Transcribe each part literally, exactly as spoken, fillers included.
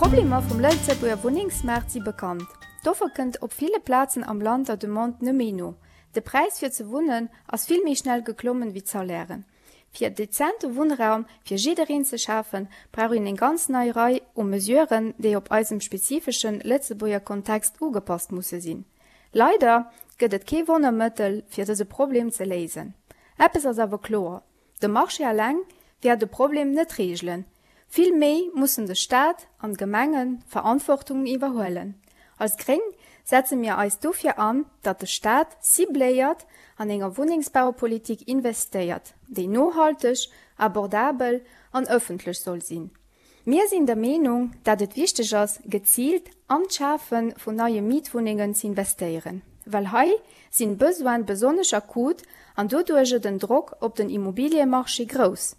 D'Problemer vum Lëtzebuerger Wunnengsmaart si bekannt. D'Offer kënnt op ville Plazen am Land der Demande net méi no. De Präis fir ze wunnen ass vill méi schnell geklommen wéi d'Salairen. Fir dezente Wunnraum fir jiddereen ze schafen, brauch een eng ganz nei Rei u Mesuren, déi op eisem spezifeschen Lëtzebuerger Kontext ugepasst musse sinn. Leider gëtt et kee Wonnermëttel fir dëse Problem ze léisen. Eppes ass awer kloer, De Marché eleng wäert de Problem net reegelen. Vill méi mussen de Staat an d'Gemenge Verantwortung iwwerhuelen. Als Gréng setze mir eis dofir an, datt de Staat cibléiert an enger Wunnengsbaupolitik investéiert, déi nohalteg, abordabel an ëffentlech soll sinn. Mir sinn der Meenung, datt et wichteg ass, geziilt an d'Schafe vun neie Mietwunnengen ze investéieren, well hei sinn d'Besoine besonnesch akut an doduerjer den Drock op den Immobiliemarché grouss.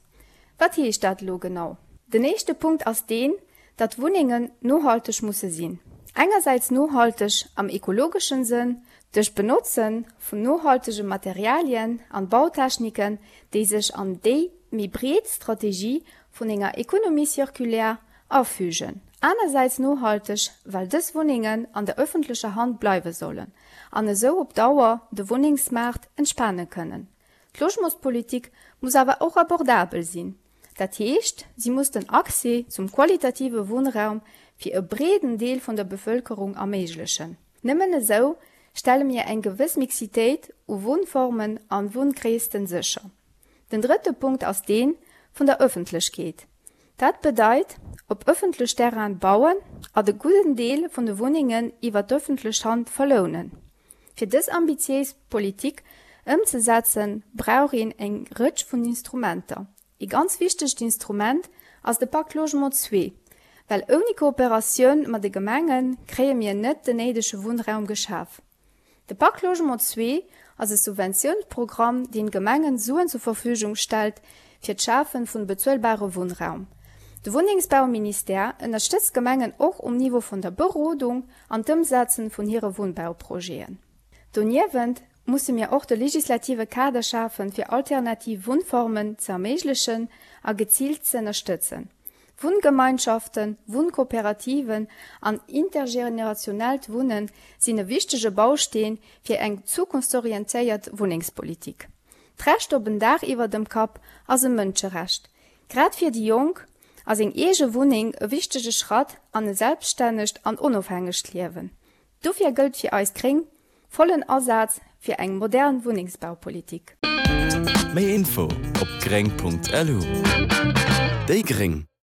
Wat heescht dat elo genau? Den éischte Punkt ass deen, datt Wunnengen nohalteg musse sinn. Engersäits nohalteg am ekologeschen Sënn, duerch d'Benotze vun nohaltege Materialien an Bautechniken, déi sech an déi méi breet Strategie vun enger Économie circulaire afügen. Anersäits nohalteg, well dës Wunnengen an der ëffentlecher Hand bleiwe sollen an esou op Dauer de Wunnengsmaart entspane kënnen. D'Logementspolitik muss awer och abordabel sinn. Dat heescht, si muss den Accès zum qualitative Wunnraum fir e breeden Deel vun der Bevëlkerung erméiglechen. Nëmmen esou stelle mir eng gewëss Mixitéit u Wunnformen an Wunngréissten sécher. Den drëtte Punkt ass dee vun der Ëffentlechkeet. Dat bedeit, op ëffentlech Terraine bauen a de gudden Deel vun de Wunnengen iwwer d'ëffentlech Hand verlounen. Fir dës ambitiéis Politik ëmzesetzen, brauch een eng Rëtsch vun Instrumenter. Ee ganz wichtegt Instrument ass de Pacte Logement zwee, well ouni Kooperatioun mat de Gemenge kréie mir net den néidege Wunnraum geschaf. De Pacte Logement zwee ass e Subventiounsprogramm, deen Gemengen Suen zur Verfügung stellt fir d'Schafe vun bezuelbare Wunnraum. De Wunnengsbauministère ënnerstëtzt d'Gemengen och um Niveau vun der Berodung an d'Ëmsetzen vun hire Wunnbauprojeten. Doniewent musse mir och de legislative Kader schafen, fir alternativ Wunnformen ze erméiglechen a geziilt ze ënnerstëtzen. Wunngemeinschaften, Wunnkooperativen an intergenerationellt Wunnen sinn e wichtege Bausteen fir eng zukunftsorientéiert Wunnengspolitik. D'Recht op en Daach iwwer dem Kapp ass e Mënscherecht. Grad fir déi Jonk ass eng eege Wunneng e wichtege Schratt an e selbststännegt an onofhängegt Liewen. Dofir gëllt fir eis Gréng, Vollen Asaz fir eng modern Wunnengsbaupolitik. Méi Info op gréng Punkt lu. Déi gréng.